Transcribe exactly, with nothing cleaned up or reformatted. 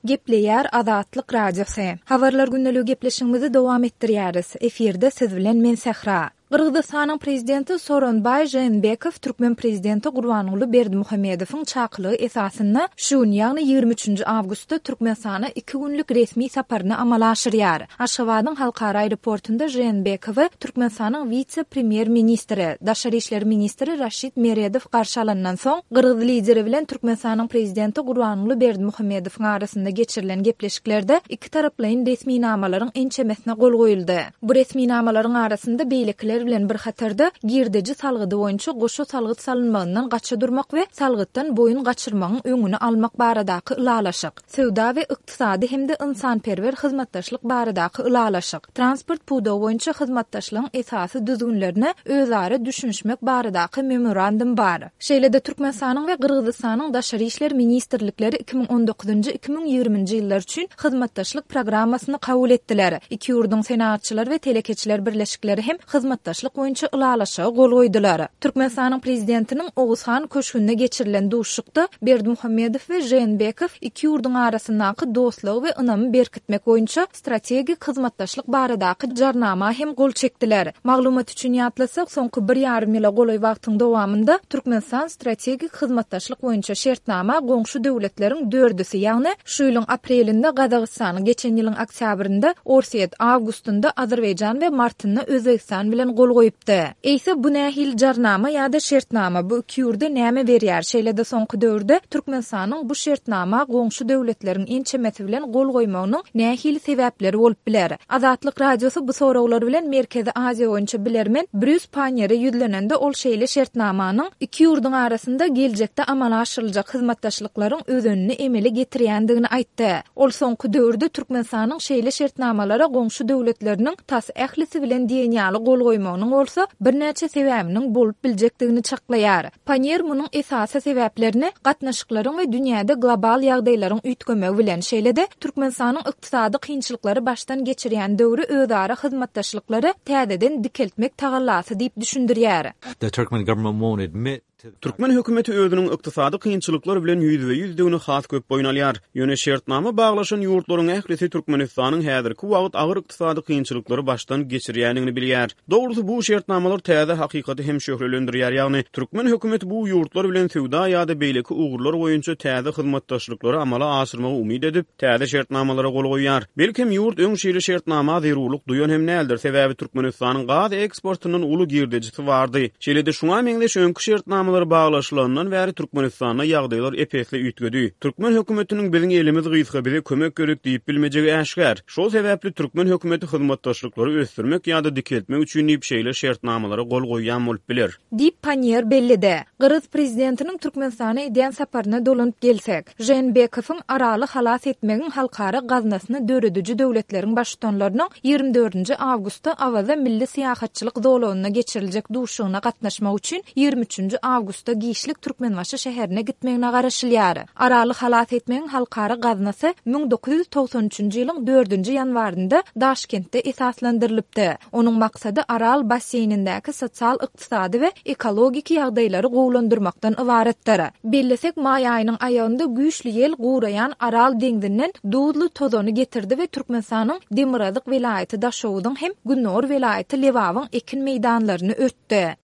Gepleýär Azatlyk Radiosy. Habarlar gündeligi gepleşigimizi dowam etdirýäris. Efirde siz bilen men Sähra. Gyrgyzystanyň prezidenti Sooronbaý Žeenbekow türkmen prezidenti Gurbanguly Berdimuhamedowyň çakylygy esasynda şu gün, ýagny ýigrimi üçünji awgustda Türkmenistana iki günlük resmi saparyny amala aşyrýar. Aşgabadyň halkara aeroportunda Žeenbekowy Türkmenistanyň wise-premýer-ministri, daşary işler ministri Raşid Meredow garşy alandan soň, gyrgyz lideri bilen Türkmenistanyň prezidenti Gurbanguly Berdimuhamedowyň arasynda geçirilen gepleşiklerde ikitaraplaýyn resminamalaryň ençemesine gol goýuldy. Bu resminamalaryň arasynda beýlekiler bilen bir hatarda girdeji salgydy boýunça goşa salgyt salynmagyndan gaça durmak we salgytdan boýun gaçyrmagyň öňüni almak baradaky ylalaşyk, söwda we ykdysady hem-de ynsanperwer hyzmatdaşlyk baradaky ylalaşyk, transport pudagy boýunça hyzmatdaşlygyň esasy düzgünlerine özara düşünişmek baradaky memorandum bar. Şeýle-de Türkmenistanyň we Gyrgyzystanyň Daşary işler ministrlikleri iki müň on dokuzynjy, iki müň ýigriminji ýyllar üçin hyzmatdaşlyk programmasyny kabul etdiler. Iki ýurduň Senagatçylar we telekeçiler birleşikleri hem hyzmatdaşlyk boýunça ylalaşyga gol goýdular. Türkmenistanyň Prezidentiniň Oguzhan köşgünde geçirilen duşuşykda Berdimuhamedow we Žeenbekow iki ýurduň arasyndaky dostlugy we ynamy berkitmek boýunça strategik hyzmatdaşlyk baradaky jarnama hem gol çekdiler. Maglumat üçin ýatlasak, soňky bir ýarym ýyla golaý wagtyň dowamynda Türkmenistan strategik hyzmatdaşlyk boýunça şertnama goňşy döwletleriň dördüsi, ýagny şu ýylyň aprelinde Gazagystanyň, geçen ýylyň oktýabrynda Orsýet, awgustynda Azerbaýjan we martynda Özbegistan bilen gol goýupdy. Eýse bu nähili jarnama ýa-da şertnama, bu iki ýurda näme berýär? Şeýle-de soňky döwürde Türkmenistanyň bu şertnama goňşy döwletleriň ençemesi bilen gol goýmagynyň nähili sebäpleri bolup biler? Azatlyk Radiosy bu soraglar bilen Merkezi Aziýa boýunça bilermen Brýus Panniýere ýüzlenende ol şeýle şertnamanyň iki ýurduň arasynda geljekde amala aşyryljak hyzmatdaşlyklaryň özenini emele getirýändigini aýtdy. Ol soňky döwürde Türkmenistanyň şeýle şertnamalara goňşy döwletleriniň tas ählisi bilen diýen ýaly gol goýmagynyň bolsa birnäçe sebäbiniň bolup biljekdigini çaklaýar. Panniýer munuň esasy sebäplerini gatnaşyklaryň we dünýäde global ýagdaýlaryň üýtgemegi bilen, şeýle-de Türkmenistanyň ykdysady kynçylyklary başdan geçirýän döwri özara hyzmatdaşlyklary täzeden dikeltmek tagallasy diýip düşündirýär. The Turkmen government won't admit Türkmen hökümeti özüniň ykdysady kynçylyklar bilen ýüzbe-ýüzdigini has köp boýun alýar. Ýöne şertnama baglaşan ýurtlaryň ählisi Türkmenistanyň häzirki wagt agyr ykdysady kynçylyklary başdan geçirýändigini bilýär. Dogrusy bu şertnamalar täze hakykaty hem şöhlelendirýär, ýagny türkmen hökümeti bu ýurtlar bilen söwda ýa-da beýleki ugurlar boýunça täze hyzmatdaşlyklary amala aşyrmagy umyt edip, täze şertnamalara gol goýýar. Belkem ýurt öň şeýle şertnama zerurlyk duýan hem däldir, sebäbi Türkmenistanyň gaz eksportyndan uly girdejisi bardy. Şeýle-de şuňa meňzeş öňki şertnamalar baglaşylandan bäri Türkmenistanda ýagdaýlar ep-esli üýtgedi. Türkmen hökümetiniň biziň elimiz gysga, bize kömek gerek diýip bilmejegi äşgär. Şol sebäpli türkmen hökümeti hyzmatdaşlyklary ösdürmek ýa-da dikeltmek üçin diýip şeýle şertnamalara gol goýýan bolup biler. Diýip Panniýer belledi. Gyrgyz prezidentiniň Türkmenistana edýän saparyna dolanyp gelsek, Žeenbekowyň Araly halas etmegiň halkara gaznasyny dörediji döwletleriň baştutanlarynyň ýigrimi dördünji awgustda Awaza milli syýahatçylyk zolagynda geçiriljek duşuşygyna gatnaşmak üçin ýigrimi üçünji awgustda giçlik Türkmenbaşy şäherine gitmegine garaşylýar. Araly halas etmegiň halkara gaznasy müň dokuz ýüz togsan üçünji ýylyň dördünji ýanwarynda Daşkentde esaslandyrylypdy. Onuň maksady Aral basseýnindäki sosial-ykdysady we ekologik ýagdaýlary gowulandyrmakdan ybaratdyr. Bellesek, maý aýynyň aýagynda güýçli ýel guraýan Aral deňzinden duzly tozany getirdi we Türkmenistanyň Demirgazyk welaýaty Daşoguzyň hem Gündogar welaýaty Lebabyň ekin meýdanlaryny örtdi.